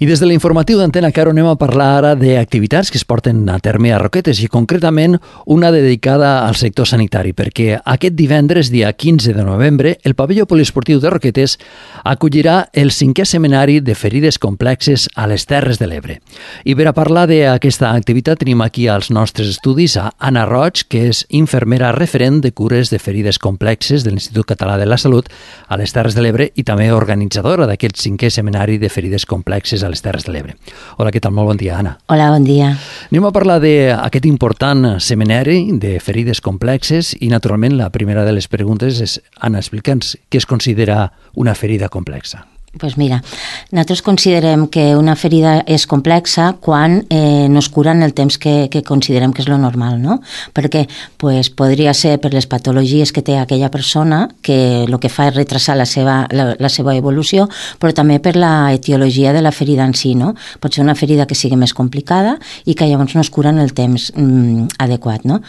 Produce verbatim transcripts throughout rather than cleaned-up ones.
I des de l'informatiu d'Antena Caro anem a parlar ara d'activitats que es porten a terme a Roquetes i concretament una dedicada al sector sanitari, perquè aquest divendres, dia quinze de novembre, el pavelló poliesportiu de Roquetes acollirà el cinquè seminari de ferides complexes a les Terres de l'Ebre. I per a parlar d'aquesta activitat tenim aquí als nostres estudis a Anna Roig, que és infermera referent de cures de ferides complexes de l'Institut Català de la Salut a les Terres de l'Ebre i també organitzadora d'aquest cinquè seminari de ferides complexes a les Terres de l'Ebre. Hola, què tal? Molt bon dia, Anna. Hola, bon dia. Anem a parlar d'aquest important seminari de ferides complexes i, naturalment, la primera de les preguntes és, Anna, explica'ns què es considera una ferida complexa. Pues mira, nosaltres considerem que una ferida és complexa quan eh, no es cura en el temps que, que considerem que és lo normal, no? Perquè pues, podria ser per les patologies que té aquella persona, que el que fa és retrasar la seva, la, la seva evolució, però també per la etiologia de la ferida en si, no? Pot ser una ferida que sigui més complicada i que llavors no es cura en el temps mm, adequat, no?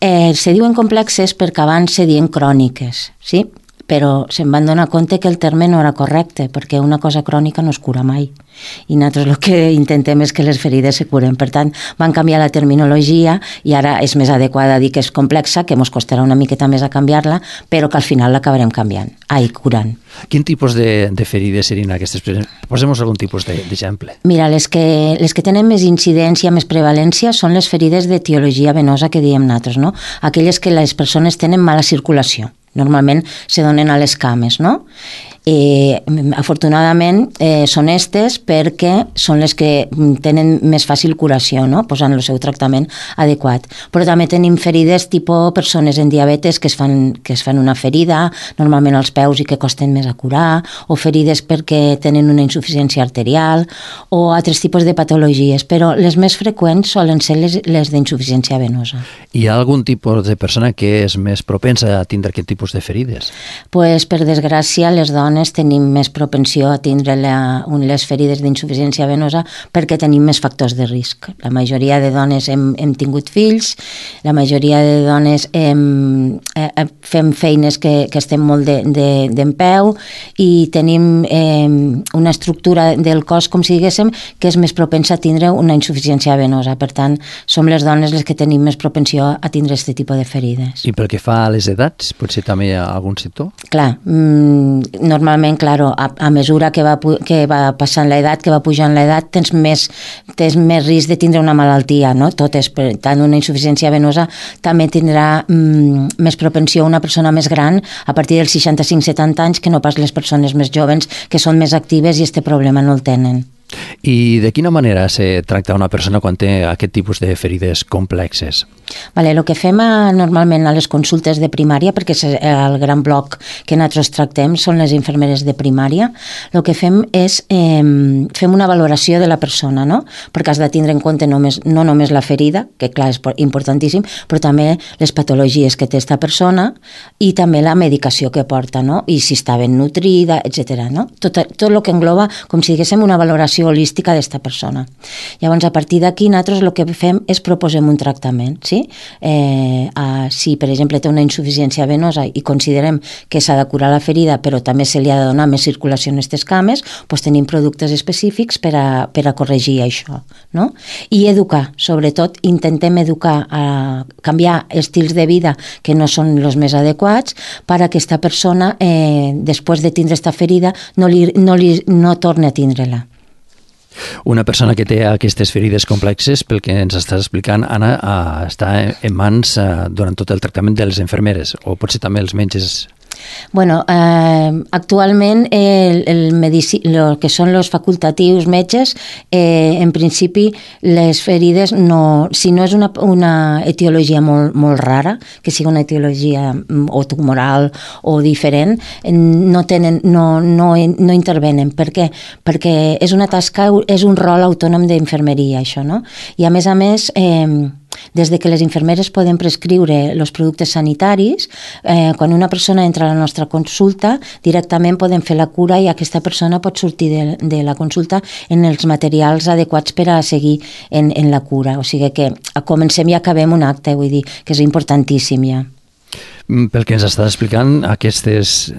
Eh, se diuen complexes perquè abans se diuen cròniques, sí? Però se'n van donar compte que el terme no era correcte, perquè una cosa crònica no es cura mai. I nosaltres el que intentem és que les ferides se curen. Per tant, van canviar la terminologia i ara és més adequada dir que és complexa, que ens costarà una miqueta més a canviar-la, però que al final l'acabarem canviant, ai, curant. Quin tipus de, de ferides serien aquestes? Posem-nos algun tipus d'exemple. Mira, les que, les que tenen més incidència, més prevalència, són les ferides d'etiologia venosa que diem nosaltres, no? Aquelles que les persones tenen mala circulació. Normalment se donen a les cames, no? Eh, afortunadament eh, són estes perquè són les que tenen més fàcil curació, no? Posant el seu tractament adequat. Però també tenim ferides tipus persones en diabetes que es fan, que es fan una ferida, normalment als peus i que costen més a curar, o ferides perquè tenen una insuficiència arterial, o altres tipus de patologies, però les més freqüents solen ser les, les d'insuficiència venosa. Hi ha algun tipus de persona que és més propensa a tindre aquest tipus de ferides? Pues, per desgràcia, les dones tenim més propensió a tindre la, les ferides d'insuficiència venosa perquè tenim més factors de risc. La majoria de dones hem, hem tingut fills, la majoria de dones hem, eh, fem feines que, que estem molt de, de, d'en peu i tenim eh, una estructura del cos, com si diguéssim, que és més propensa a tindre una insuficiència venosa. Per tant, som les dones les que tenim més propensió a tindre aquest tipus de ferides. I pel que fa a les edats, potser també hi ha algun sector? Clar, mm, normalment, claro, a, a mesura que va, que va passant l'edat, que va pujant l'edat, tens més, tens més risc de tindre una malaltia, no? Tot és, per tant, una insuficiència venosa també tindrà mm, més propensió una persona més gran a partir dels seixanta-cinc setanta anys que no pas les persones més joves que són més actives i este problema no el tenen. I de quina manera se tracta una persona quan té aquest tipus de ferides complexes? Vale, el que fem a, normalment a les consultes de primària, perquè és el gran bloc que nosaltres tractem, són les infermeres de primària, el que fem és eh, fem una valoració de la persona, no? Perquè has de tindre en compte només, no només la ferida, que clar és importantíssim, però també les patologies que té esta persona i també la medicació que porta, no? I si està ben nutrida, etcètera, no? Tot, tot el que engloba, com si diguéssim, una valoració holística d'esta persona. Llavors, a partir d'aquí, nosaltres el que fem és proposem un tractament, sí? Eh, a, si, per exemple, té una insuficiència venosa i considerem que s'ha de curar la ferida, però també se li ha de donar més circulació en aquestes cames, doncs tenim productes específics per a, per a corregir això, no? I educar, sobretot, intentem educar a canviar estils de vida que no són els més adequats per a que aquesta persona, eh, després de tindre aquesta ferida, no, li, no, li, no torni a tindre-la. Una persona que té aquestes ferides complexes, pel que ens estàs explicant, Anna, està en mans durant tot el tractament de les infermeres, o potser també els metges? Bueno, eh, actualment el, el, medici, el que són els facultatius metges, eh, en principi les ferides, no, si no és una, una etiologia molt, molt rara, que sigui una etiologia o tumoral o diferent, no, tenen, no, no, no intervenen. Per què? Perquè és una tasca, és un rol autònom d'infermeria, això, no? I a més a més, eh, des de que les infermeres poden prescriure els productes sanitaris, eh, quan una persona entra a la nostra consulta, directament podem fer la cura i aquesta persona pot sortir de, de la consulta en els materials adequats per a seguir en, en la cura. O sigui que comencem i acabem un acte, vull dir que és importantíssim ja. Pel que ens estàs explicant, aquestes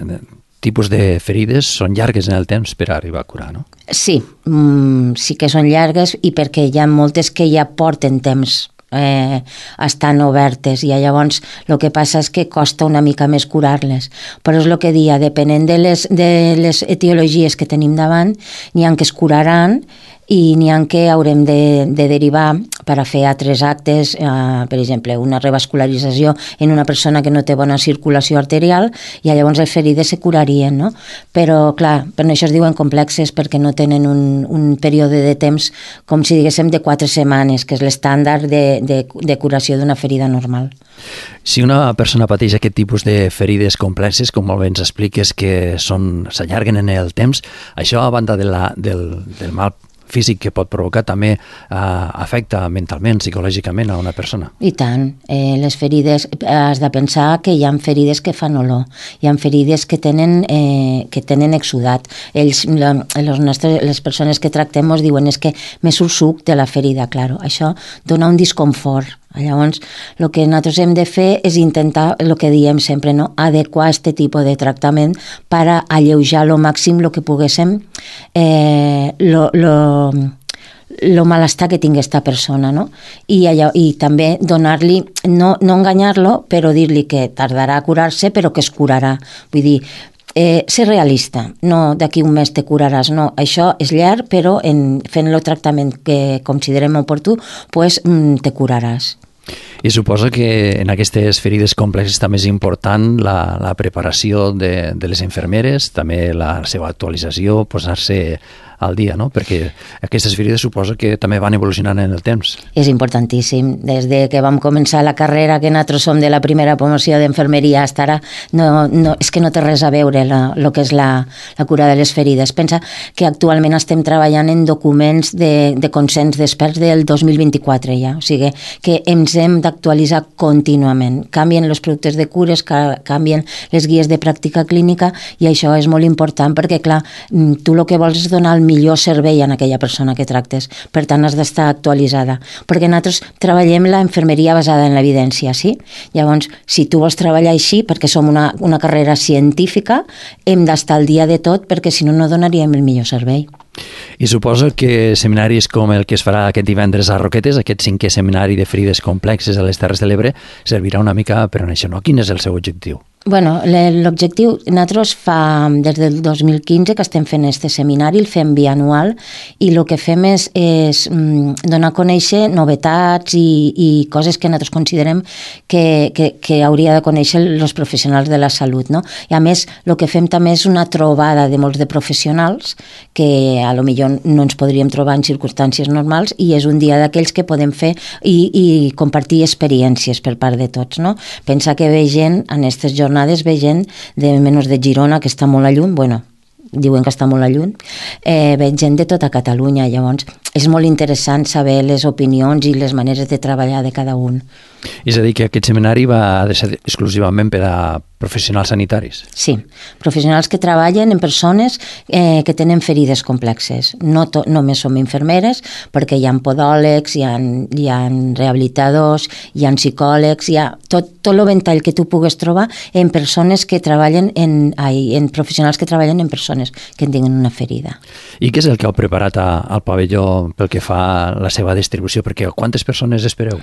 tipus de ferides són llargues en el temps per arribar a curar, no? Sí, mm, sí que són llargues i perquè hi ha moltes que ja porten temps eh, estan obertes i llavors el que passa és que costa una mica més curar-les, però és el que dia, depenent de les, de les etiologies que tenim davant, n'hi ha que es curaran i n'hi ha que haurem de, de derivar per a fer altres actes, eh, per exemple, una revascularització en una persona que no té bona circulació arterial i llavors les ferides se curarien, no? Però, clar, per això es diuen complexes perquè no tenen un, un període de temps, com si diguéssim, de quatre setmanes, que és l'estàndard de, de, de curació d'una ferida normal. Si una persona pateix aquest tipus de ferides complexes, com molt bé ens expliques que són s'allarguen en el temps, això a banda de la, del, del mal físic que pot provocar també eh, afecta mentalment, psicològicament a una persona. I tant. Eh, les ferides, has de pensar que hi ha ferides que fan olor, hi ha ferides que tenen, eh, que tenen exudat. Ells, la, les, nostres, les persones que tractem ens diuen és que me surt suc de la ferida, claro. Això dona un disconfort. Llavors, el que nosaltres hem de fer és intentar, el que diem sempre, no? Adequar aquest tipus de tractament per a alleujar al màxim el que poguéssim eh, lo, lo, lo malestar que tingui aquesta persona, no? I, allò, i també donar-li, no, no enganyar-lo, però dir-li que tardarà a curar-se, però que es curarà. Vull dir, Eh, ser realista, no d'aquí un mes te curaràs, no, això és llarg, però en, fent el tractament que considerem oportú, pues, mm, te curaràs. I suposo que en aquestes ferides complexes també és important la, la preparació de, de les infermeres, també la seva actualització, posar-se al dia, no? Perquè aquestes ferides suposo que també van evolucionant en el temps. És importantíssim. Des de que vam començar la carrera, que nosaltres som de la primera promoció d'infermeria fins ara, no, no, és que no té res a veure el que és la, la cura de les ferides. Pensa que actualment estem treballant en documents de, de consens d'experts del dos mil vint-i-quatre ja, o sigui que ens hem d'actualitzar contínuament. Canvien els productes de cures, canvien les guies de pràctica clínica i això és molt important perquè, clar, tu el que vols és donar el millor servei a aquella persona que tractes. Per tant, has d'estar actualitzada. Perquè nosaltres treballem la infermeria basada en l'evidència, sí? Llavors, si tu vols treballar així, perquè som una, una carrera científica, hem d'estar al dia de tot, perquè si no, no donaríem el millor servei. I suposo que seminaris com el que es farà aquest divendres a Roquetes, aquest cinquè seminari de ferides complexes a les Terres de l'Ebre, servirà una mica per a això, no? Quin és el seu objectiu? Bueno, l'objectiu, nosaltres fa des del dos mil quinze que estem fent este seminari, el fem bianual i el que fem és, és donar a conèixer novetats i, i coses que nosaltres considerem que, que, que hauria de conèixer els professionals de la salut, no? I a més, el que fem també és una trobada de molts de professionals que a lo millor no ens podríem trobar en circumstàncies normals i és un dia d'aquells que podem fer i, i compartir experiències per part de tots, no? Pensa que ve gent en aquestes jornades jornades ve gent de menys de Girona, que està molt a lluny, bueno, diuen que està molt a lluny, eh, ve gent de tota Catalunya, llavors és molt interessant saber les opinions i les maneres de treballar de cada un. És a dir, que aquest seminari va de ser exclusivament per a professionals sanitaris? Sí, professionals que treballen en persones eh, que tenen ferides complexes. No to, només som infermeres, perquè hi ha podòlegs, hi ha, hi ha rehabilitadors, hi ha psicòlegs, hi ha tot, tot el ventall que tu pugues trobar en persones que treballen en, ai, en professionals que treballen en persones que tinguin una ferida. I què és el que heu preparat a, al pavelló pel que fa a la seva distribució? Perquè quantes persones espereu?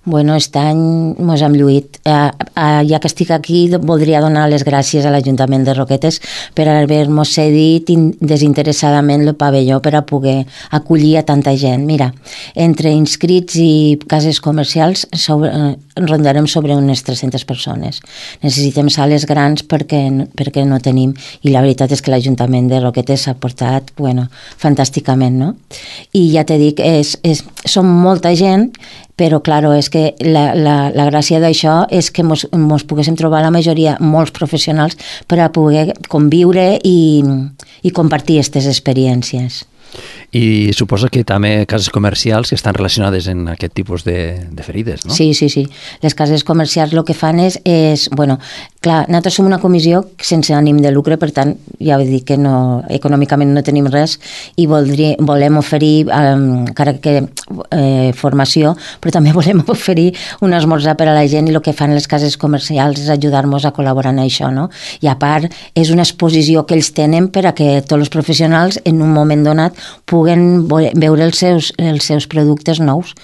Bueno, aquest any mos hem lluït. Eh, eh, ja que estic aquí, voldria donar les gràcies a l'Ajuntament de Roquetes per haver-nos cedit desinteressadament el pavelló per a poder acollir a tanta gent. Mira, entre inscrits i cases comercials sobre, eh, rondarem sobre unes tres-centes persones. Necessitem sales grans perquè, perquè no tenim, i la veritat és que l'Ajuntament de Roquetes s'ha portat, bueno, fantàsticament, no? I ja t'he dit, és, és, som molta gent, però, claro, és que la, la, la gràcia d'això és que mos, mos poguéssim trobar la majoria, molts professionals, per a poder conviure i, i compartir aquestes experiències. I suposo que també cases comercials que estan relacionades en aquest tipus de, de ferides, no? Sí, sí, sí. Les cases comercials el que fan és, és bueno, clar, nosaltres som una comissió sense ànim de lucre, per tant, ja vull dir que no, econòmicament no tenim res i voldria, volem oferir, eh, encara que eh, formació, però també volem oferir un esmorzar per a la gent i el que fan les cases comercials és ajudar-nos a col·laborar en això, no? I a part, és una exposició que ells tenen per a que tots els professionals en un moment donat puguen veure els seus, els seus productes nous.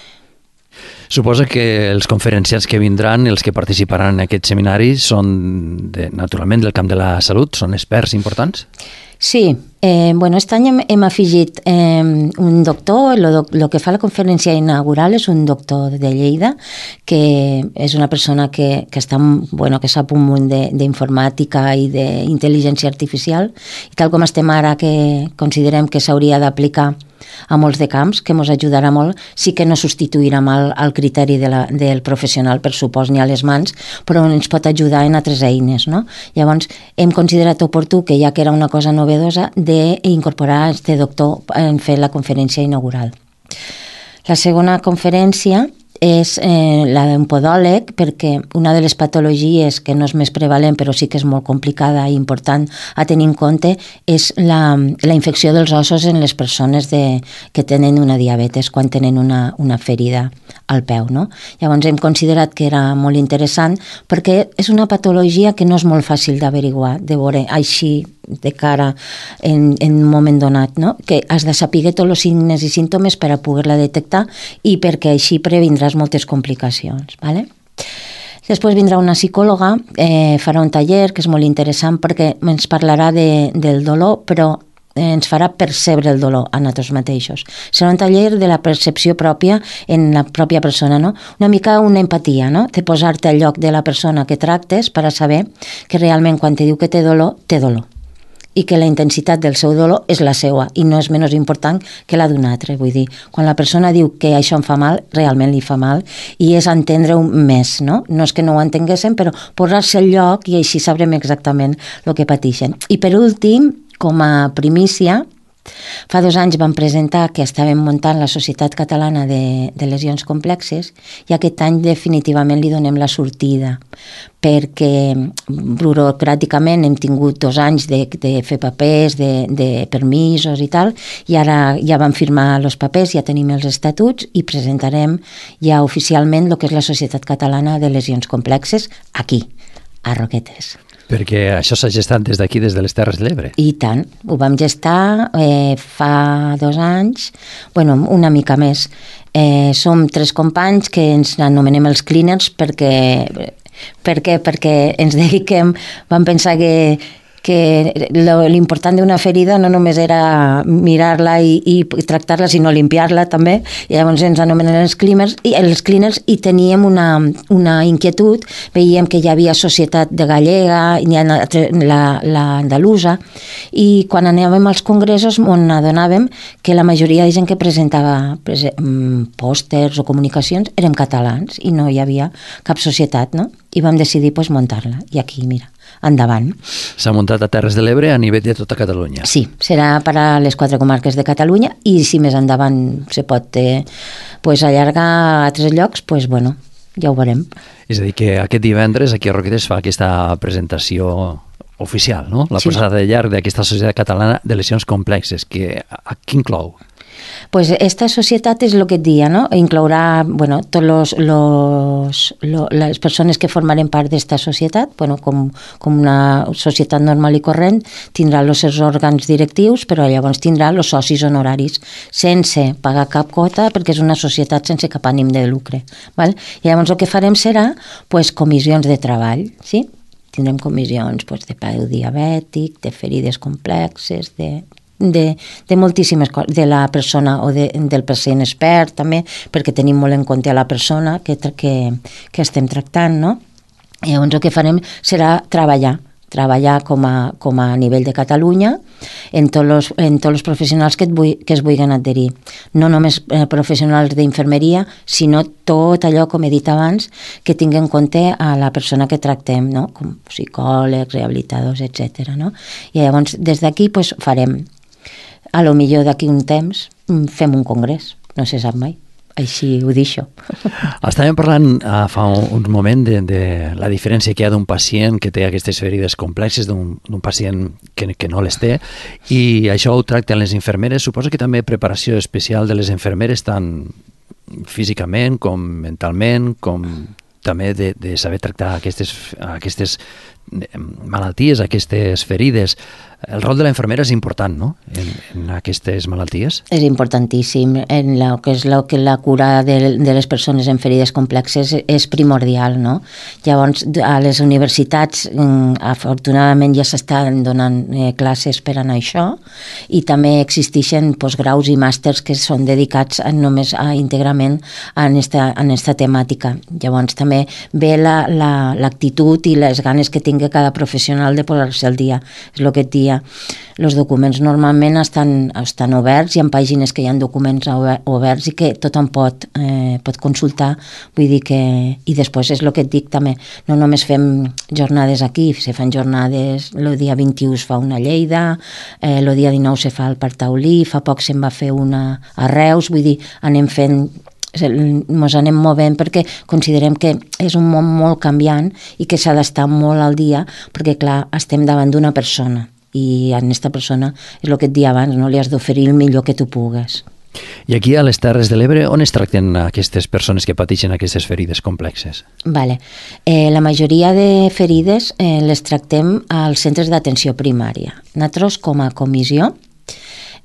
Suposo que els conferenciants que vindran, els que participaran en aquest seminari, són de, naturalment del camp de la salut, són experts importants? Sí, eh, bueno, aquest any hem, hem afegit eh, un doctor, el que fa la conferència inaugural és un doctor de Lleida, que és una persona que, que, està, bueno, que sap un munt d'informàtica i d'intel·ligència artificial, i tal com estem ara, que considerem que s'hauria d'aplicar a molts de camps, que ens ajudarà molt, sí que no substituirà mal el criteri de la, del professional, per supost, ni a les mans, però ens pot ajudar en altres eines, no? Llavors, hem considerat oportú, que ja que era una cosa novedosa, d'incorporar este doctor en fer la conferència inaugural. La segona conferència és eh, la d'un podòleg, perquè una de les patologies que no és més prevalent però sí que és molt complicada i important a tenir en compte és la, la infecció dels ossos en les persones de, que tenen una diabetes quan tenen una, una ferida al peu, no? Llavors hem considerat que era molt interessant perquè és una patologia que no és molt fàcil d'averiguar, de veure així de cara en, en un moment donat, no? Que has de saber tots els signes i símptomes per a poder-la detectar i perquè així previndràs moltes complicacions, ¿vale? Després vindrà una psicòloga, eh, farà un taller que és molt interessant perquè ens parlarà de, del dolor, però ens farà percebre el dolor a nosaltres mateixos. Serà un taller de la percepció pròpia en la pròpia persona, no? Una mica una empatia, no? De posar-te al lloc de la persona que tractes per a saber que realment quan te diu que té dolor, té dolor, i que la intensitat del seu dolor és la seva i no és menys important que la d'un altre. Vull dir, quan la persona diu que això em fa mal, realment li fa mal i és entendre-ho més, no? No és que no ho entenguéssim, però posar-se al lloc i així sabrem exactament el que pateixen. I per últim, com a primícia, fa dos anys vam presentar que estàvem muntant la Societat Catalana de, de Lesions Complexes i aquest any definitivament li donem la sortida perquè burocràticament hem tingut dos anys de, de fer papers, de, de permisos i tal, i ara ja vam firmar els papers, ja tenim els estatuts i presentarem ja oficialment el que és la Societat Catalana de Lesions Complexes aquí, a Roquetes. Perquè això s'ha gestat des d'aquí, des de les Terres de l'Ebre. I tant, ho vam gestar eh, fa dos anys, bueno, una mica més. Eh, som tres companys que ens anomenem els cleaners perquè, per què? Perquè ens dediquem, vam pensar que que l'important d'una ferida no només era mirar-la i, i tractar-la, sinó limpiar-la també, i llavors ens anomenen els cleaners, i, els cleaners, i teníem una, una inquietud, veiem que hi havia Societat de Gallega, l'Andalusa, i quan anàvem als congressos on adonàvem que la majoria de gent que presentava pòsters o comunicacions érem catalans i no hi havia cap societat, no? I vam decidir pues, muntar-la, i aquí, mira, endavant. S'ha muntat a Terres de l'Ebre a nivell de tota Catalunya. Sí, serà per a les quatre comarques de Catalunya i si més endavant se pot eh, pues, allargar a altres llocs, pues, bueno, ja ho veurem. És a dir, que aquest divendres aquí a Roquetes fa aquesta presentació oficial, no? La sí. posada de llarg d'aquesta Societat Catalana de Lesions Complexes, que a qui inclou? Pues esta societat és el que et dia, no? Inclourà, bueno, tots los, los, los, les persones que formarem part d'esta societat, bueno, com, com una societat normal i corrent, tindrà els seus òrgans directius, però llavors tindrà els socis honoraris, sense pagar cap quota, perquè és una societat sense cap ànim de lucre. Val? I llavors el que farem serà pues, comissions de treball, sí? Tindrem comissions pues, de peu diabètic, de ferides complexes, de... De, de moltíssimes coses, de la persona o de, del pacient expert també, perquè tenim molt en compte a la persona que, que, que estem tractant, no? I llavors el que farem serà treballar, treballar com a, com a nivell de Catalunya en tots los, en tots els professionals que, et vull, que es vulguin adherir. No només eh, professionals d'infermeria, sinó tot allò, com he dit abans, que tingui en compte a la persona que tractem, no? Com psicòlegs, rehabilitadors, etcètera. No? I llavors des d'aquí pues, farem a lo millor d'aquí un temps fem un congrés, no se sap mai. Així ho deixo. Estàvem parlant uh, fa un, un moment de, de la diferència que hi ha d'un pacient que té aquestes ferides complexes d'un pacient que, que no les té, i això ho tracten les infermeres. Suposo que també preparació especial de les infermeres tant físicament com mentalment, com també de, de saber tractar aquestes, aquestes malalties, aquestes ferides. El rol de la infermera és important, no?, en, en aquestes malalties. És importantíssim. En la, que és la, que la cura de, de les persones en ferides complexes és primordial, no? Llavors, a les universitats, afortunadament, ja s'estan donant eh, classes per anar a això, i també existeixen postgraus i màsters que són dedicats a, només a, íntegrament a esta, a esta temàtica. Llavors, també ve l'actitud la, la, i les ganes que tingui cada professional de posar-se al dia. És el que et dia. Els documents normalment estan, estan oberts, hi ha pàgines que hi ha documents oberts i que tothom pot, eh, pot consultar, vull dir que... I després és el que et dic també, no només fem jornades aquí, se fan jornades, el dia vint-i-u es fa una a Lleida, eh, el dia dinou se fa al Parc Taulí, fa poc se'n va fer una a Reus, vull dir, anem fent ens anem movent perquè considerem que és un món molt canviant i que s'ha d'estar molt al dia perquè, clar, estem davant d'una persona i a aquesta persona, és el que et dia abans, no li has d'oferir el millor que tu pugues. I aquí a les Terres de l'Ebre, on es tracten aquestes persones que pateixen aquestes ferides complexes? Vale. Eh, la majoria de ferides eh, les tractem als centres d'atenció primària. Nosaltres, com a comissió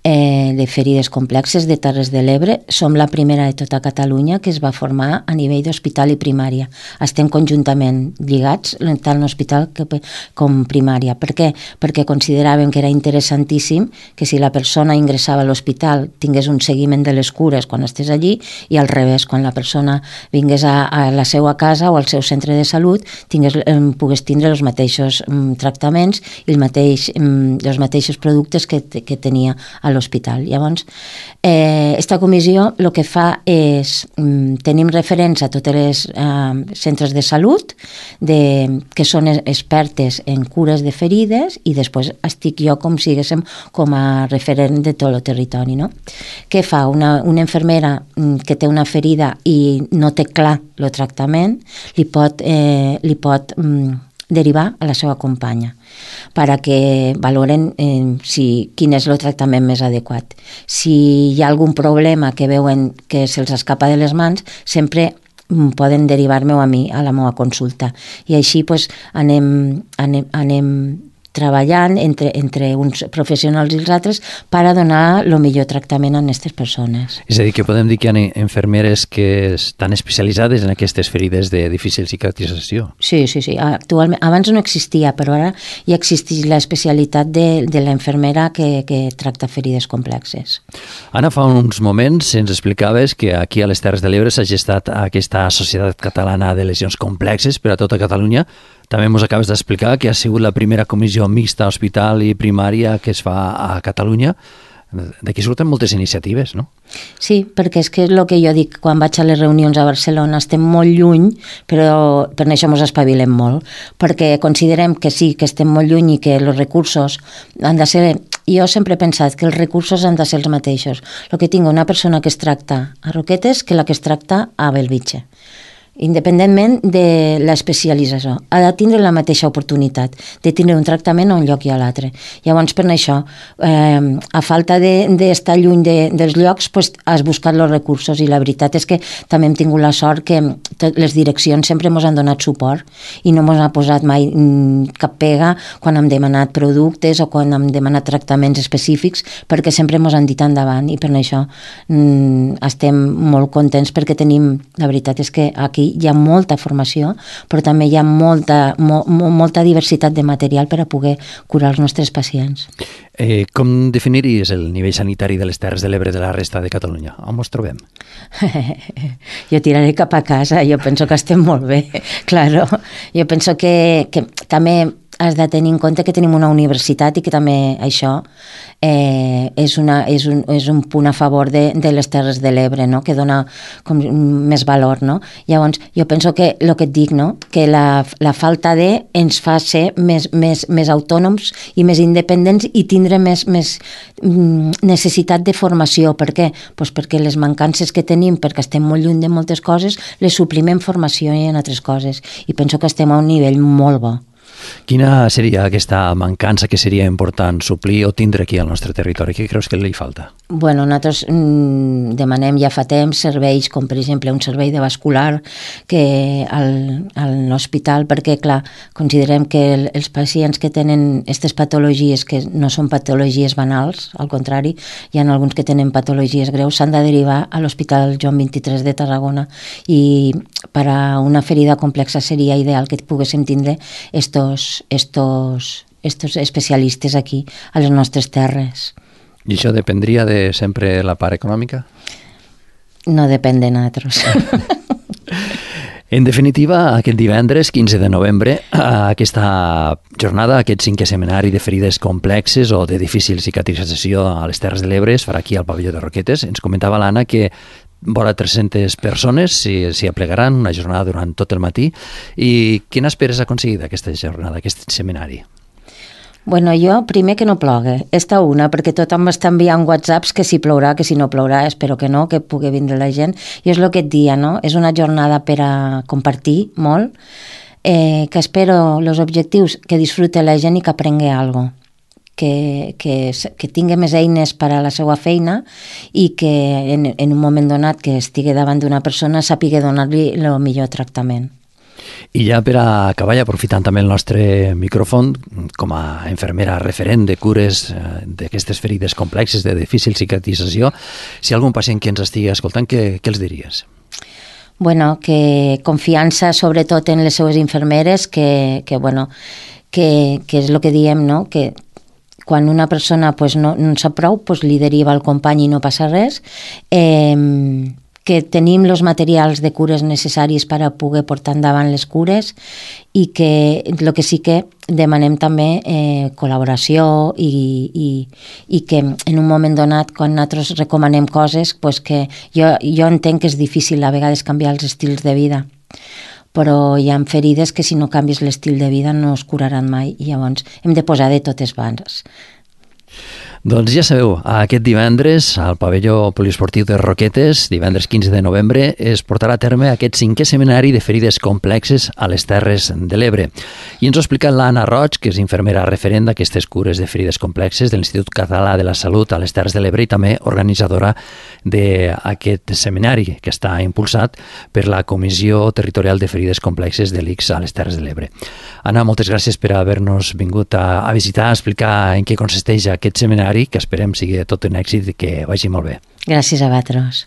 eh, de ferides complexes de Terres de l'Ebre, som la primera de tota Catalunya que es va formar a nivell d'hospital i primària. Estem conjuntament lligats, tant l'hospital com primària. Per què? Perquè consideràvem que era interessantíssim que si la persona ingressava a l'hospital tingués un seguiment de les cures quan estés allí, i al revés, quan la persona vingués a, a la seva casa o al seu centre de salut tingués, eh, pogués tindre els mateixos mm, tractaments i el mateix, mm, els mateixos productes que, que tenia a l'hospital. Llavors, eh, esta comissió el que fa és, mm, tenim referents a tots els eh, centres de salut de, que són expertes en cures de ferides, i després estic jo com si siguéssim com a referent de tot el territori, no? Què fa? Una, una infermera que té una ferida i no té clar el tractament, li pot, eh, li pot mm, derivar a la seva companya perquè valoren eh, si, quin és el tractament més adequat. Si hi ha algun problema que veuen que se'ls escapa de les mans, sempre poden derivar-me a mi a la meva consulta. I així pues, anem, anem, anem treballant entre, entre uns professionals i els altres per a donar el millor tractament a aquestes persones. És a dir, que podem dir que hi ha infermeres que estan especialitzades en aquestes ferides de difícil cicatrització. Sí, sí, sí. Actualment, abans no existia, però ara ja existeix l'especialitat de, de la infermera que, que tracta ferides complexes. Anna, fa uns moments ens explicaves que aquí a les Terres de l'Ebre s'ha gestat aquesta Societat Catalana de Lesions Complexes per a tota Catalunya. També ens acabes d'explicar que ha sigut la primera comissió mixta hospital i primària que es fa a Catalunya. D'aquí surten moltes iniciatives, no? Sí, perquè és que és el que jo dic quan vaig a les reunions a Barcelona, estem molt lluny, però per això ens espavilem molt, perquè considerem que sí, que estem molt lluny i que els recursos han de ser... Jo sempre he pensat que els recursos han de ser els mateixos. El que tinc una persona que es tracta a Roquetes que la que es tracta a Bellvitge. Independentment de l'especialització, ha de tindre la mateixa oportunitat de tindre un tractament a un lloc i a l'altre. Llavors, per això, eh, a falta d'estar de, lluny de, dels llocs, pues, has buscat els recursos, i la veritat és que també hem tingut la sort que tot, les direccions sempre ens han donat suport i no ens ha posat mai mm, cap pega quan hem demanat productes o quan hem demanat tractaments específics, perquè sempre ens han dit endavant, i per això mm, estem molt contents perquè tenim, la veritat és que aquí hi ha molta formació, però també hi ha molta, mo, molta diversitat de material per a poder curar els nostres pacients. Eh, com definiries el nivell sanitari de les Terres de l'Ebre de la resta de Catalunya? On ens trobem? Jo tiraré cap a casa, jo penso que estem molt bé, claro. Jo penso que, que també has de tenir en compte que tenim una universitat i que també això eh, és, una, és, un, és un punt a favor de, de les Terres de l'Ebre, no? Que dona com més valor, no? Llavors, jo penso que el que et dic, no? Que la, la falta de ens fa ser més, més, més autònoms i més independents i tindre més, més necessitat de formació. Per què? Pues perquè les mancances que tenim, perquè estem molt lluny de moltes coses, les suplim en formació i en altres coses. I penso que estem a un nivell molt bo. Quina seria aquesta mancança que seria important suplir o tindre aquí al nostre territori? Què creus que li falta? Bueno, nosaltres mm, demanem ja fa temps serveis com per exemple un servei de vascular que al, a l'hospital, perquè clar, considerem que el, els pacients que tenen aquestes patologies que no són patologies banals, al contrari, hi ha alguns que tenen patologies greus, s'han de derivar a l'Hospital Joan vint-i-tres de Tarragona i per a una ferida complexa seria ideal que poguéssim tindre estos, estos, estos especialistes aquí a les nostres terres. I això dependria de sempre la part econòmica? No depèn de nosaltres. En definitiva, aquest divendres, quinze de novembre, aquesta jornada, aquest cinquè seminari de ferides complexes o de difícil cicatrització a les Terres de l'Ebre es farà aquí al pavelló de Roquetes. Ens comentava l'Anna que vora tres-centes persones s'hi aplegaran una jornada durant tot el matí. I quina esperes aconseguir d'aquesta jornada, aquest seminari? Bueno, jo primer que no plogui, esta una, perquè tothom m'està enviant whatsapps que si plourà, que si no plourà, espero que no, que pugui vindre la gent. I és el que et dia, no? És una jornada per a compartir molt, eh, que espero els objectius, que disfrute la gent i que aprengui alguna cosa. Que, que, que tingui més eines per a la seva feina i que en, en un moment donat que estigui davant d'una persona sàpiga donar-li el millor tractament. I ja per a acabar, aprofitant també el nostre micròfon, com a infermera referent de cures eh, d'aquestes ferides complexes de difícil cicatrització, si hi ha algun pacient que ens estigui escoltant, què, què els diries? Bueno, que confiança sobretot en les seues infermeres, que, que, bueno, que, que és el que diem, no? Que quan una persona pues, no, no en sap prou, pues, li deriva al company i no passa res, eh, que tenim els materials de cures necessaris per a poder portar endavant les cures i que el que sí que demanem també eh, col·laboració i, i, i que en un moment donat, quan nosaltres recomanem coses, pues que jo, jo entenc que és difícil a vegades canviar els estils de vida, però hi ha ferides que si no canvies l'estil de vida no es curaran mai i llavors hem de posar de totes bandes. Doncs ja sabeu, aquest divendres al pavelló poliesportiu de Roquetes, divendres quinze de novembre, es portarà a terme aquest cinquè seminari de ferides complexes a les Terres de l'Ebre. I ens ho ha explicat l'Anna Roig, que és infermera referent d'aquestes cures de ferides complexes de l'Institut Català de la Salut a les Terres de l'Ebre i també organitzadora d'aquest seminari que està impulsat per la Comissió Territorial de Ferides Complexes de l'I C S a les Terres de l'Ebre. Anna, moltes gràcies per haver-nos vingut a, a visitar, a explicar en què consisteix aquest seminari, que esperem sigui tot un èxit i que vagi molt bé. Gràcies a vosaltres.